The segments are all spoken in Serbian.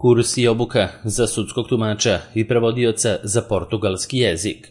Kurs i obuka za sudskog tumača i prevodioca za portugalski jezik.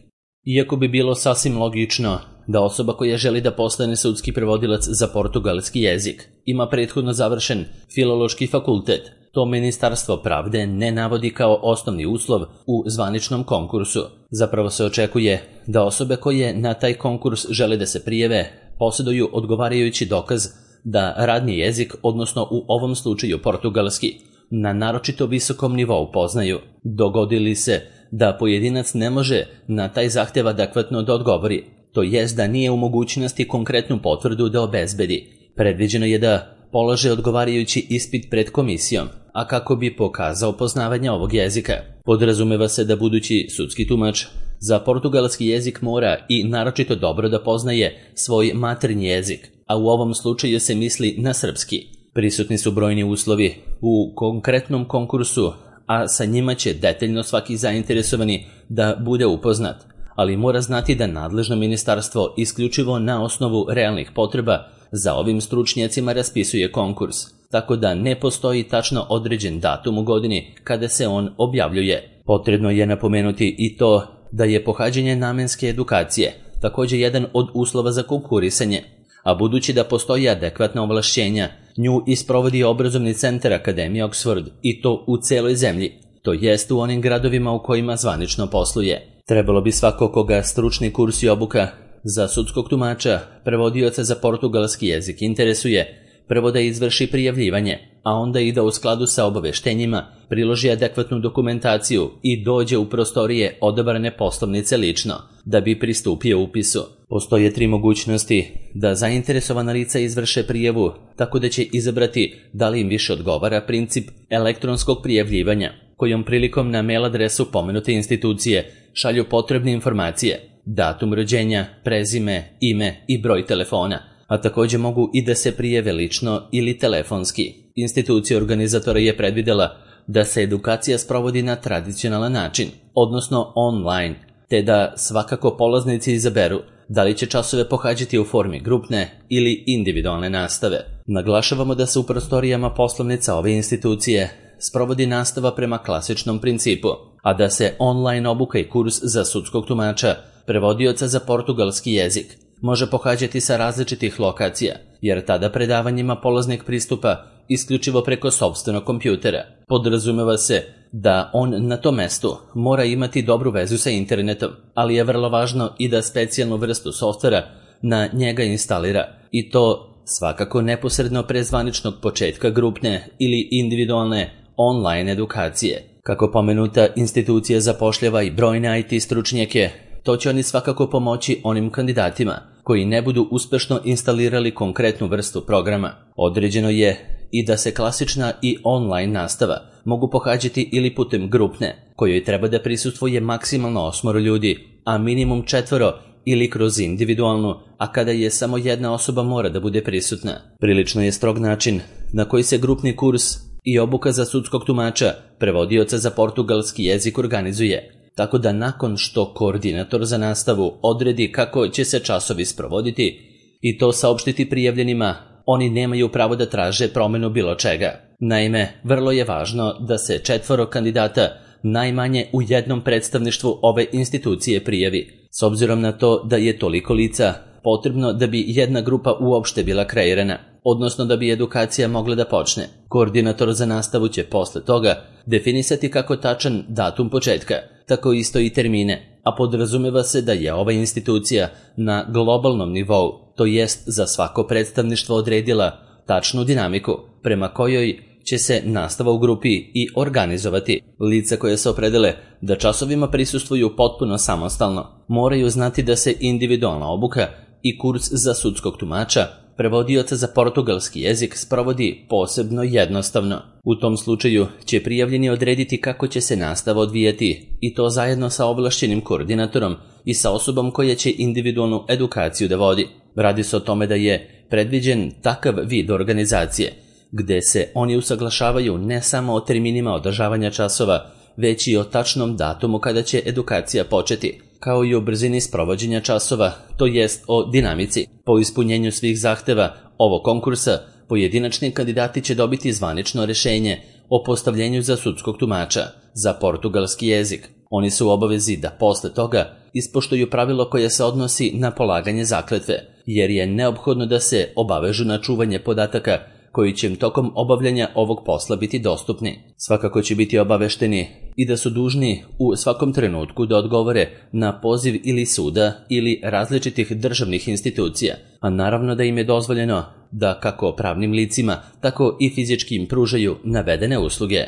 Iako bi bilo sasvim logično da osoba koja želi da postane sudski prevodilac za portugalski jezik ima prethodno završen filološki fakultet, to Ministarstvo pravde ne navodi kao osnovni uslov u zvaničnom konkursu. Zapravo se očekuje da osobe koje na taj konkurs žele da se prijave posjeduju odgovarajući dokaz da radni jezik, odnosno u ovom slučaju portugalski, na naročito visokom nivou poznaju. Dogodi se da pojedinac ne može na taj zahtev adekvatno da odgovori, to jest da nije u mogućnosti konkretnu potvrdu da obezbedi. Predviđeno je da polaže odgovarajući ispit pred komisijom, a kako bi pokazao poznavanje ovog jezika. Podrazumeva se da budući sudski tumač za portugalski jezik mora i naročito dobro da poznaje svoj maternji jezik, a u ovom slučaju se misli na srpski. Prisutni su brojni uslovi u konkretnom konkursu, a sa njima će detaljno svaki zainteresovani da bude upoznat, ali mora znati da nadležno ministarstvo isključivo na osnovu realnih potreba za ovim stručnjacima raspisuje konkurs, tako da ne postoji tačno određen datum u godini kada se on objavljuje. Potrebno je napomenuti i to da je pohađanje namenske edukacije također jedan od uslova za konkurisanje, a budući da postoji adekvatna ovlašćenja, nju isprovodi obrazovni centar Akademije Oxford i to u celoj zemlji, to jest u onim gradovima u kojima zvanično posluje. Trebalo bi svako koga stručni kurs i obuka za sudskog tumača, prevodioca za portugalski jezik interesuje, prvo da izvrši prijavljivanje, a onda i da u skladu sa obaveštenjima priloži adekvatnu dokumentaciju i dođe u prostorije odabrane poslovnice lično, da bi pristupio upisu. Postoje 3 mogućnosti da zainteresovana lica izvrše prijavu, tako da će izabrati da li im više odgovara princip elektronskog prijavljivanja, kojom prilikom na mail adresu pomenute institucije šalju potrebne informacije, datum rođenja, prezime, ime i broj telefona, a također mogu i da se prijave lično ili telefonski. Institucija organizatora je predvidela da se edukacija sprovodi na tradicionalan način, odnosno online, te da svakako polaznici izaberu da li će časove pohađati u formi grupne ili individualne nastave. Naglašavamo da se u prostorijama poslovnica ove institucije sprovodi nastava prema klasičnom principu, a da se online obuka i kurs za sudskog tumača, prevodioca za portugalski jezik, može pohađati sa različitih lokacija, jer tada predavanjima polaznik pristupa isključivo preko sopstvenog kompjutera. Podrazumeva se da on na tom mestu mora imati dobru vezu sa internetom, ali je vrlo važno i da specijalnu vrstu softvera na njega instalira, i to svakako neposredno pre zvaničnog početka grupne ili individualne online edukacije. Kako pomenuta institucija zapošljava i brojne IT stručnjake, to će oni svakako pomoći onim kandidatima koji ne budu uspešno instalirali konkretnu vrstu programa. Određeno je i da se klasična i online nastava mogu pohađati ili putem grupne, kojoj treba da prisustvuje maksimalno 8 ljudi, a minimum 4 ili kroz individualnu, a kada je samo jedna osoba mora da bude prisutna. Prilično je strog način na koji se grupni kurs i obuka za sudskog tumača, prevodioca za portugalski jezik organizuje, tako da nakon što koordinator za nastavu odredi kako će se časovi sprovoditi i to saopštiti prijavljenima, oni nemaju pravo da traže promenu bilo čega. Naime, vrlo je važno da se 4 kandidata najmanje u jednom predstavništvu ove institucije prijavi, s obzirom na to da je toliko lica potrebno da bi jedna grupa uopšte bila kreirana, odnosno da bi edukacija mogla da počne. Koordinator za nastavu će posle toga definisati kako tačan datum početka, tako isto i termine, a podrazumeva se da je ova institucija na globalnom nivou, to jest za svako predstavništvo odredila tačnu dinamiku prema kojoj će se nastava u grupi i organizovati. Lica koje se opredele da časovima prisustvuju potpuno samostalno moraju znati da se individualna obuka i kurs za sudskog tumača, prevodioca za portugalski jezik sprovodi posebno jednostavno. U tom slučaju će prijavljeni odrediti kako će se nastava odvijati, i to zajedno sa ovlašćenim koordinatorom i sa osobom koja će individualnu edukaciju da vodi. Radi se o tome da je predviđen takav vid organizacije, gde se oni usaglašavaju ne samo o terminima održavanja časova, već i o tačnom datumu kada će edukacija početi, kao i o brzini sprovođenja časova, to jest o dinamici. Po ispunjenju svih zahteva ovog konkursa, pojedinačni kandidati će dobiti zvanično rešenje o postavljenju za sudskog tumača za portugalski jezik. Oni su u obavezi da posle toga ispoštuju pravilo koje se odnosi na polaganje zakletve, jer je neophodno da se obavežu na čuvanje podataka koji će im tokom obavljanja ovog posla biti dostupni. Svakako će biti obavešteni i da su dužni u svakom trenutku da odgovore na poziv ili suda ili različitih državnih institucija, a naravno da im je dozvoljeno da kako pravnim licima, tako i fizički im pružaju navedene usluge.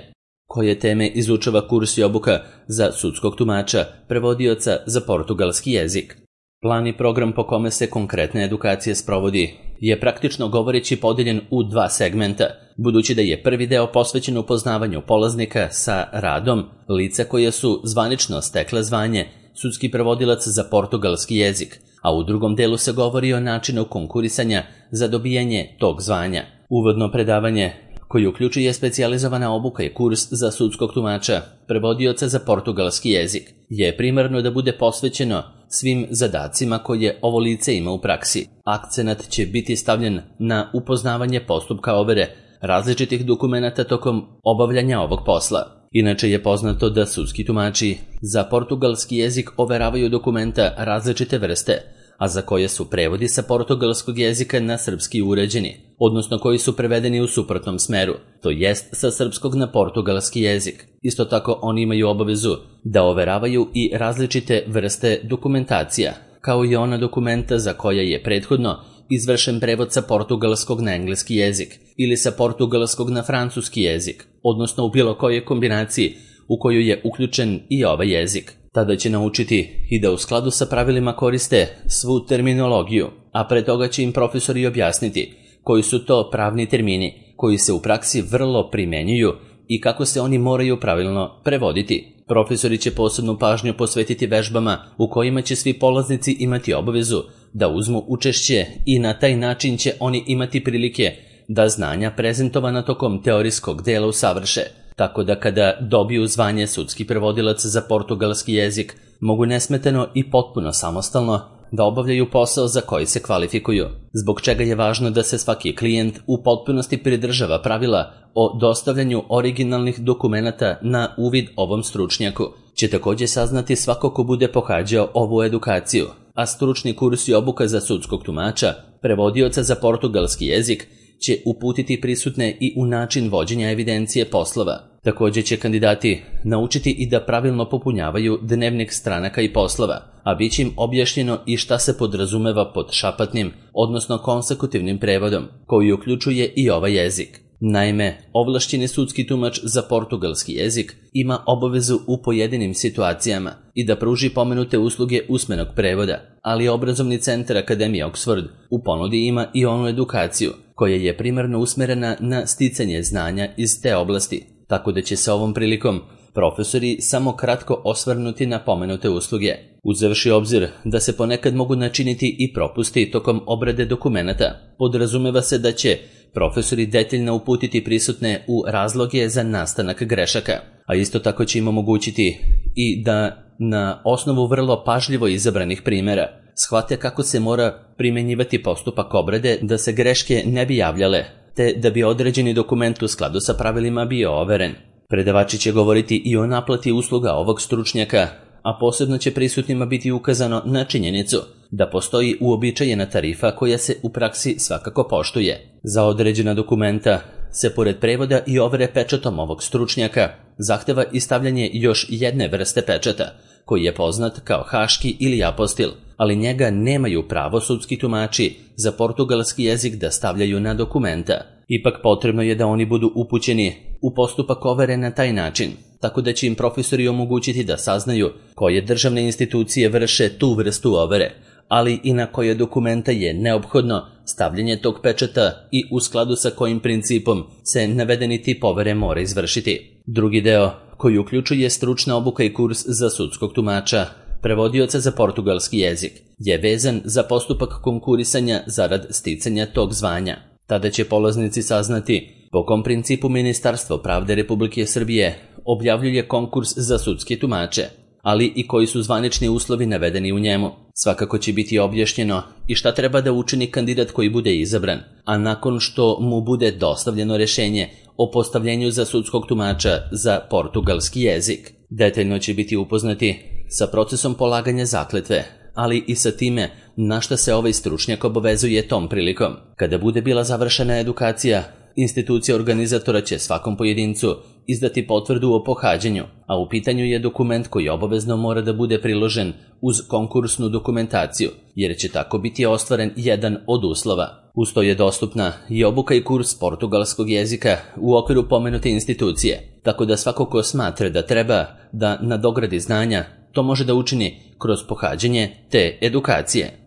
Koje teme izučava kurs i obuka za sudskog tumača, prevodioca za portugalski jezik? Plan i program po kome se konkretna edukacija sprovodi je praktično govoreći podeljen u dva segmenta, budući da je prvi deo posvećen upoznavanju polaznika sa radom lica koje su zvanično stekle zvanje sudski prevodilac za portugalski jezik, a u drugom delu se govori o načinu konkurisanja za dobijanje tog zvanja. Uvodno predavanje, koji uključuje specijalizovana obuka i kurs za sudskog tumača, prevodioca za portugalski jezik, je primarno da bude posvećeno svim zadacima koje ovo lice ima u praksi. Akcenat će biti stavljen na upoznavanje postupka overe različitih dokumenata tokom obavljanja ovog posla. Inače je poznato da sudski tumači za portugalski jezik overavaju dokumenta različite vrste, a za koje su prevodi sa portugalskog jezika na srpski uređeni, odnosno koji su prevedeni u suprotnom smeru, to jest sa srpskog na portugalski jezik. Isto tako oni imaju obavezu da overavaju i različite vrste dokumentacija, kao i ona dokumenta za koja je prethodno izvršen prevod sa portugalskog na engleski jezik ili sa portugalskog na francuski jezik, odnosno u bilo kojoj kombinaciji u koju je uključen i ovaj jezik. Tada će naučiti i da u skladu sa pravilima koriste svu terminologiju, a pre toga će im profesori objasniti koji su to pravni termini koji se u praksi vrlo primenjuju i kako se oni moraju pravilno prevoditi. Profesori će posebnu pažnju posvetiti vežbama u kojima će svi polaznici imati obavezu da uzmu učešće i na taj način će oni imati prilike da znanja prezentovana tokom teorijskog dela usavrše, tako da kada dobiju zvanje sudski prevodilac za portugalski jezik, mogu nesmetano i potpuno samostalno da obavljaju posao za koji se kvalifikuju, zbog čega je važno da se svaki klijent u potpunosti pridržava pravila o dostavljanju originalnih dokumenata na uvid ovom stručnjaku. Će također saznati svako ko bude pohađao ovu edukaciju, a stručni kurs i obuka za sudskog tumača, prevodioca za portugalski jezik, će uputiti prisutne i u način vođenja evidencije poslova. Također će kandidati naučiti i da pravilno popunjavaju dnevnik stranaka i poslova, a bit će im objašnjeno i šta se podrazumeva pod šapatnim, odnosno konsekutivnim prevodom, koji uključuje i ovaj jezik. Naime, ovlašćeni sudski tumač za portugalski jezik ima obavezu u pojedinim situacijama i da pruži pomenute usluge usmenog prevoda, ali obrazovni centar Akademije Oxford u ponudi ima i onu edukaciju koja je primarno usmerena na sticanje znanja iz te oblasti, tako da će se ovom prilikom profesori samo kratko osvrnuti na pomenute usluge. Uzevši obzir da se ponekad mogu načiniti i propusti tokom obrade dokumenata, podrazumeva se da će profesori detaljno uputiti prisutne u razloge za nastanak grešaka, a isto tako će im omogućiti i da na osnovu vrlo pažljivo izabranih primjera shvate kako se mora primjenjivati postupak obrade da se greške ne bi javljale, te da bi određeni dokument u skladu sa pravilima bio overen. Predavači će govoriti i o naplati usluga ovog stručnjaka, a posebno će prisutnima biti ukazano na činjenicu da postoji uobičajena tarifa koja se u praksi svakako poštuje. Za određena dokumenta se pored prevoda i overe pečatom ovog stručnjaka zahteva i stavljanje još jedne vrste pečata, koji je poznat kao haški ili apostil, ali njega nemaju pravo sudski tumači za portugalski jezik da stavljaju na dokumenta. Ipak potrebno je da oni budu upućeni u postupak overe na taj način, tako da će im profesori omogućiti da saznaju koje državne institucije vrše tu vrstu overe, ali i na koje dokumenta je neophodno stavljanje tog pečata i u skladu sa kojim principom se navedeni tip overe mora izvršiti. Drugi deo, koji uključuje stručna obuka i kurs za sudskog tumača, prevodioca za portugalski jezik, je vezan za postupak konkurisanja zarad sticanja tog zvanja. Tada će polaznici saznati po kom principu Ministarstvo pravde Republike Srbije objavljuje konkurs za sudske tumače, ali i koji su zvanični uslovi navedeni u njemu. Svakako će biti objašnjeno i šta treba da učini kandidat koji bude izabran, a nakon što mu bude dostavljeno rješenje o postavljenju za sudskog tumača za portugalski jezik. Detaljno će biti upoznati sa procesom polaganja zakletve, ali i sa time na šta se ovaj stručnjak obavezuje tom prilikom. Kada bude bila završena edukacija, institucija organizatora će svakom pojedincu izdati potvrdu o pohađanju, a u pitanju je dokument koji obavezno mora da bude priložen uz konkursnu dokumentaciju, jer će tako biti ostvaren jedan od uslova. Uz to je dostupna i obuka i kurs portugalskog jezika u okviru pomenute institucije, tako da svako ko smatra da treba da nadogradi znanja, to može da učini kroz pohađanje te edukacije.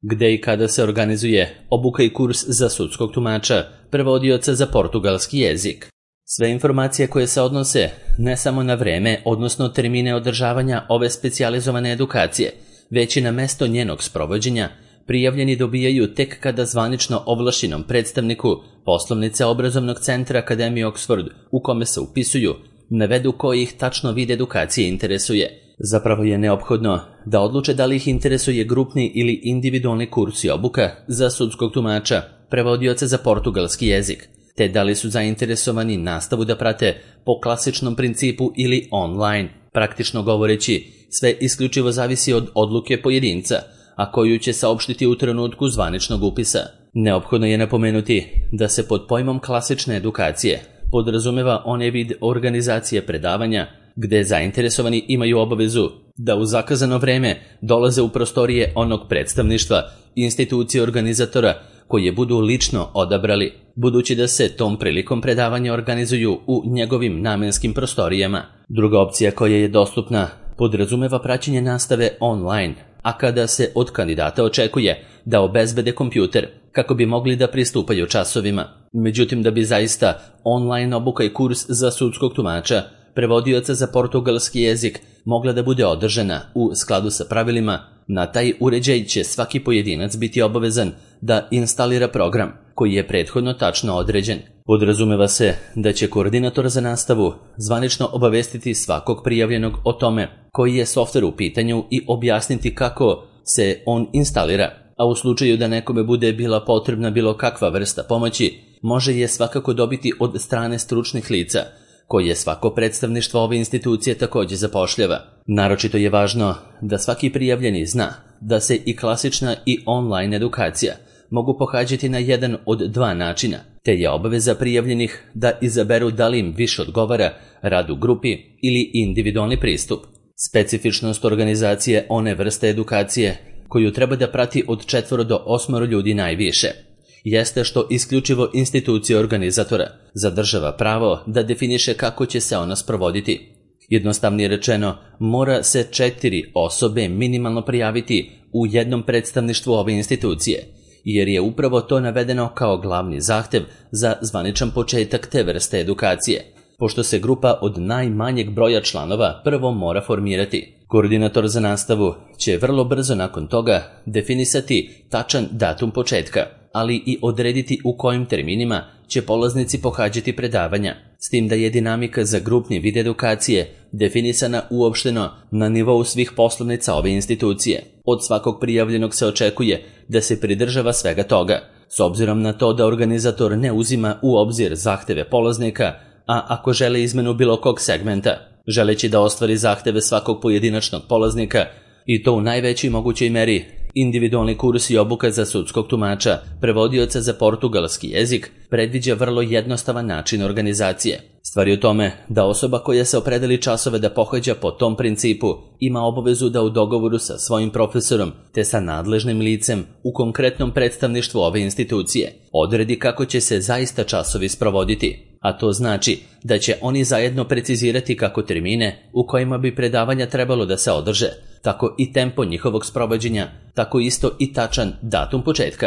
Gde i kada se organizuje obuka i kurs za sudskog tumača, prevodioca za portugalski jezik? Sve informacije koje se odnose ne samo na vreme, odnosno termine održavanja ove specijalizovane edukacije, već i na mesto njenog sprovođenja, prijavljeni dobijaju tek kada zvanično ovlašćenom predstavniku poslovnice obrazovnog centra Akademije Oxford u kome se upisuju, navedu koji ih tačno vid edukacije interesuje. Zapravo je neophodno da odluče da li ih interesuje grupni ili individualni kurs i obuka za sudskog tumača, prevodioca za portugalski jezik, te da li su zainteresovani nastavu da prate po klasičnom principu ili online. Praktično govoreći, sve isključivo zavisi od odluke pojedinca, a koju će saopštiti u trenutku zvaničnog upisa. Neophodno je napomenuti da se pod pojmom klasične edukacije podrazumeva onaj vid organizacije predavanja gde zainteresovani imaju obavezu da u zakazano vreme dolaze u prostorije onog predstavništva institucije organizatora koje budu lično odabrali, budući da se tom prilikom predavanja organizuju u njegovim namenskim prostorijama. Druga opcija koja je dostupna podrazumeva praćenje nastave online, a kada se od kandidata očekuje da obezbede kompjuter kako bi mogli da pristupaju časovima. Međutim, da bi zaista online obuka i kurs za sudskog tumača, prevodioca za portugalski jezik mogla da bude održana u skladu sa pravilima, na taj uređaj će svaki pojedinac biti obavezan da instalira program koji je prethodno tačno određen. Podrazumeva se da će koordinator za nastavu zvanično obavestiti svakog prijavljenog o tome koji je softver u pitanju i objasniti kako se on instalira, a u slučaju da nekome bude bila potrebna bilo kakva vrsta pomoći, može je svakako dobiti od strane stručnih lica, koje svako predstavništvo ove institucije također zapošljava. Naročito je važno da svaki prijavljeni zna da se i klasična i online edukacija mogu pohađati na jedan od dva načina, te je obaveza prijavljenih da izaberu da li im više odgovara rad u grupi ili individualni pristup. Specifičnost organizacije one vrste edukacije koju treba da prati od 4 do 8 ljudi najviše jeste što isključivo institucija organizatora zadržava pravo da definiše kako će se ona sprovoditi. Jednostavnije rečeno, mora se 4 osobe minimalno prijaviti u jednom predstavništvu ove institucije, jer je upravo to navedeno kao glavni zahtev za zvaničan početak te vrste edukacije, pošto se grupa od najmanjeg broja članova prvo mora formirati. Koordinator za nastavu će vrlo brzo nakon toga definisati tačan datum početka, ali i odrediti u kojim terminima će polaznici pohađati predavanja, s tim da je dinamika za grupni vid edukacije definisana uopšteno na nivou svih poslovnica ove institucije. Od svakog prijavljenog se očekuje da se pridržava svega toga, s obzirom na to da organizator ne uzima u obzir zahteve polaznika, a ako žele izmenu bilo kog segmenta, želeći da ostvari zahteve svakog pojedinačnog polaznika, i to u najvećoj mogućoj meri, individualni kurs i obuka za sudskog tumača, prevodioca za portugalski jezik, predviđa vrlo jednostavan način organizacije. Stvar je u tome da osoba koja se opredeli časove da pohađa po tom principu ima obavezu da u dogovoru sa svojim profesorom te sa nadležnim licem u konkretnom predstavništvu ove institucije odredi kako će se zaista časovi sprovoditi, a to znači da će oni zajedno precizirati kako termine u kojima bi predavanja trebalo da se održe, tako i tempo njihovog sprovođenja, tako isto i tačan datum početka.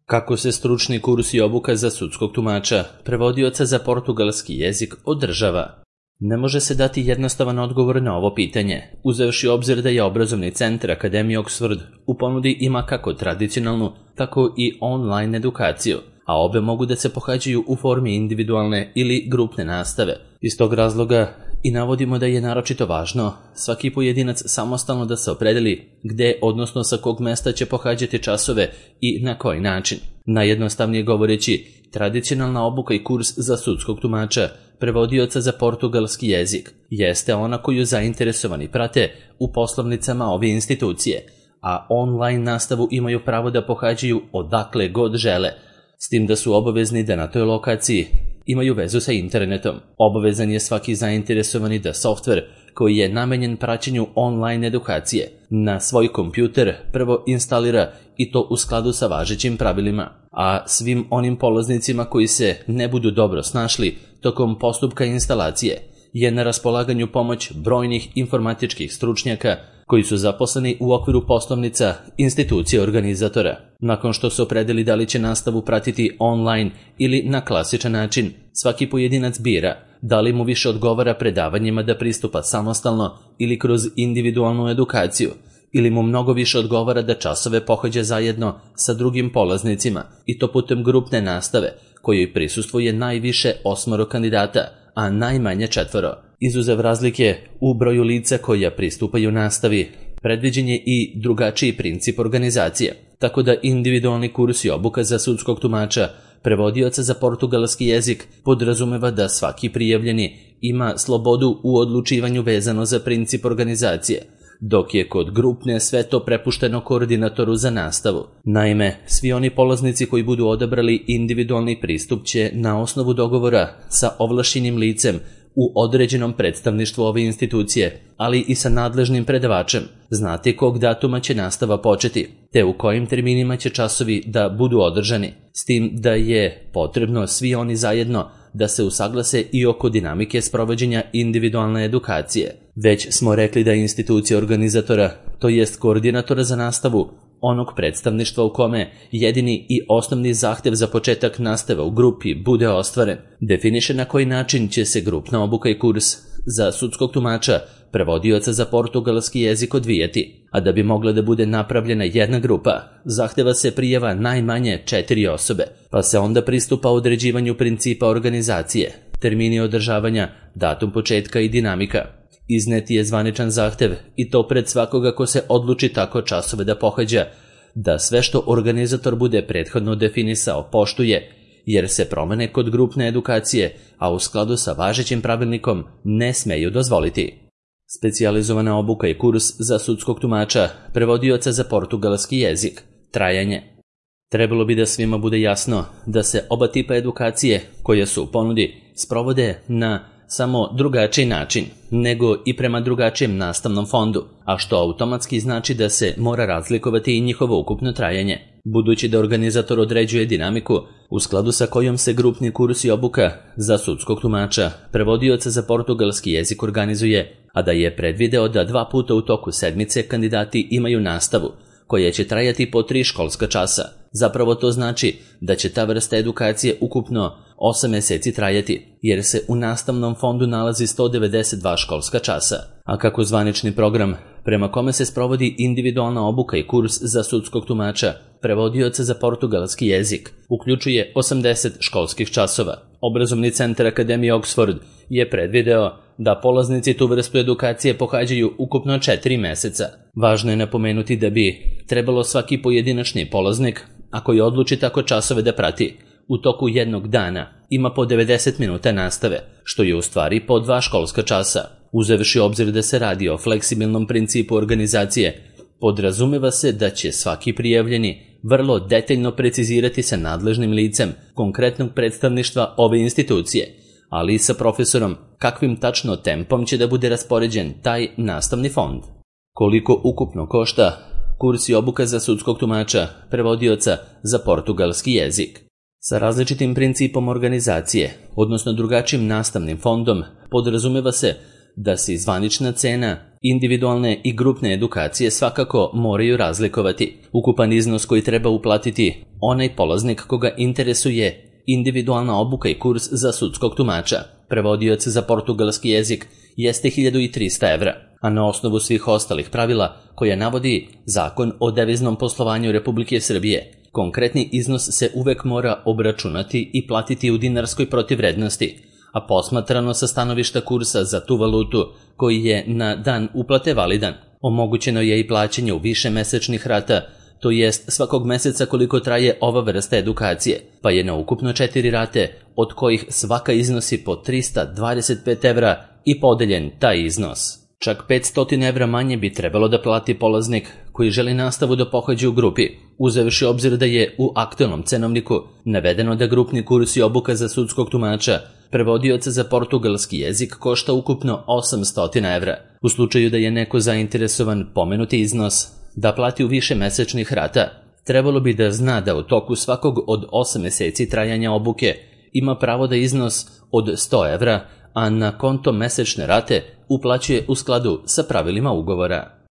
Kako se stručni kurs i obuka za sudskog tumača, prevodioca za portugalski jezik održava? Ne može se dati jednostavan odgovor na ovo pitanje, uzevši obzir da je obrazovni centar Akademije Oxford u ponudi ima kako tradicionalnu, tako i online edukaciju, a obe mogu da se pohađaju u formi individualne ili grupne nastave. Iz tog razloga i navodimo da je naročito važno svaki pojedinac samostalno da se opredeli gde, odnosno sa kog mesta će pohađati časove i na koji način. Najjednostavnije govoreći, tradicionalna obuka i kurs za sudskog tumača, prevodioca za portugalski jezik, jeste ona koju zainteresovani prate u poslovnicama ove institucije, a online nastavu imaju pravo da pohađaju odakle god žele, s tim da su obavezni da na toj lokaciji imaju vezu sa internetom. Obavezan je svaki zainteresovani da softver koji je namenjen praćenju online edukacije na svoj kompjuter prvo instalira i to u skladu sa važećim pravilima, a svim onim polaznicima koji se ne budu dobro snašli tokom postupka instalacije je na raspolaganju pomoć brojnih informatičkih stručnjaka koji su zaposleni u okviru poslovnica institucije organizatora. Nakon što se opredeli da li će nastavu pratiti online ili na klasičan način, svaki pojedinac bira da li mu više odgovara predavanjima da pristupa samostalno ili kroz individualnu edukaciju, ili mu mnogo više odgovara da časove pohađa zajedno sa drugim polaznicima i to putem grupne nastave, kojoj prisustvuje najviše 8 kandidata, a najmanje 4. Izuzev razlike u broju lica koja pristupaju nastavi, predviđen je i drugačiji princip organizacije, tako da individualni kurs i obuka za sudskog tumača, prevodioca za portugalski jezik, podrazumeva da svaki prijavljeni ima slobodu u odlučivanju vezano za princip organizacije, dok je kod grupne sve to prepušteno koordinatoru za nastavu. Naime, svi oni polaznici koji budu odabrali individualni pristup će na osnovu dogovora sa ovlašćenim licem u određenom predstavništvu ove institucije, ali i sa nadležnim predavačem, znati kog datuma će nastava početi, te u kojim terminima će časovi da budu održani, s tim da je potrebno svi oni zajedno da se usaglase i oko dinamike sprovođenja individualne edukacije. Već smo rekli da institucija organizatora, to jest koordinatora za nastavu, onog predstavništva u kome jedini i osnovni zahtev za početak nastave u grupi bude ostvaren, definiše na koji način će se grupna obuka i kurs za sudskog tumača, prevodioca za portugalski jezik odvijati, a da bi mogla da bude napravljena jedna grupa, zahteva se prijava najmanje 4 osobe, pa se onda pristupa određivanju principa organizacije, termini održavanja, datum početka i dinamika. Izneti je zvaničan zahtev i to pred svakoga ko se odluči tako časove da pohađa, da sve što organizator bude prethodno definisao poštuje, jer se promene kod grupne edukacije, a u skladu sa važećim pravilnikom, ne smeju dozvoliti. Specijalizovana obuka i kurs za sudskog tumača, prevodioca za portugalski jezik. Trajanje. Trebalo bi da svima bude jasno da se oba tipa edukacije koje su u ponudi sprovode na samo drugačiji način, nego i prema drugačijem nastavnom fondu, a što automatski znači da se mora razlikovati i njihovo ukupno trajanje. Budući da organizator određuje dinamiku u skladu sa kojom se grupni kurs i obuka za sudskog tumača, prevodioca za portugalski jezik organizuje, a da je predvideo da 2 puta u toku sedmice kandidati imaju nastavu, koja će trajati po 3 školska časa. Zapravo to znači da će ta vrsta edukacije ukupno 8 meseci trajati, jer se u nastavnom fondu nalazi 192 školska časa. A kako zvanični program, prema kome se sprovodi individualna obuka i kurs za sudskog tumača, prevodioca za portugalski jezik, uključuje 80 školskih časova. Obrazovni centar Akademije Oxford je predvideo da polaznici tu vrstu edukacije pohađaju ukupno 4 meseca. Važno je napomenuti da bi trebalo svaki pojedinačni polaznik, ako je odluči tako časove da prati, u toku jednog dana ima po 90 minuta nastave, što je u stvari po 2 školska časa. Uzevši obzir da se radi o fleksibilnom principu organizacije, podrazumeva se da će svaki prijavljeni vrlo detaljno precizirati sa nadležnim licem konkretnog predstavništva ove institucije, ali i sa profesorom kakvim tačno tempom će da bude raspoređen taj nastavni fond. Koliko ukupno košta kurs i obuka za sudskog tumača, prevodioca za portugalski jezik? Sa različitim principom organizacije, odnosno drugačijim nastavnim fondom, podrazumeva se da se zvanična cena individualne i grupne edukacije svakako moraju razlikovati. Ukupan iznos koji treba uplatiti onaj polaznik koga interesuje individualna obuka i kurs za sudskog tumača, prevodioca za portugalski jezik, jeste 1300 evra, a na osnovu svih ostalih pravila koje navodi Zakon o deviznom poslovanju Republike Srbije, konkretni iznos se uvek mora obračunati i platiti u dinarskoj protivvrednosti, a posmatrano sa stanovišta kursa za tu valutu koji je na dan uplate validan, omogućeno je i plaćanje u više mesečnih rata, to jest svakog meseca koliko traje ova vrsta edukacije, pa je na ukupno 4 rate, od kojih svaka iznosi po 325 evra i podeljen taj iznos. Čak 500 evra manje bi trebalo da plati polaznik koji želi nastavu da pohađa u grupi, uzevši obzir da je u aktualnom cenovniku navedeno da grupni kurs i obuka za sudskog tumača, prevodioca za portugalski jezik košta ukupno 800 evra. U slučaju da je neko zainteresovan pomenuti iznos da plati u više mesečnih rata, trebalo bi da zna da u toku svakog od 8 meseci trajanja obuke ima pravo da iznos od 100 evra, a na konto mesečne rate uplaćuje u skladu sa pravilima ugovora.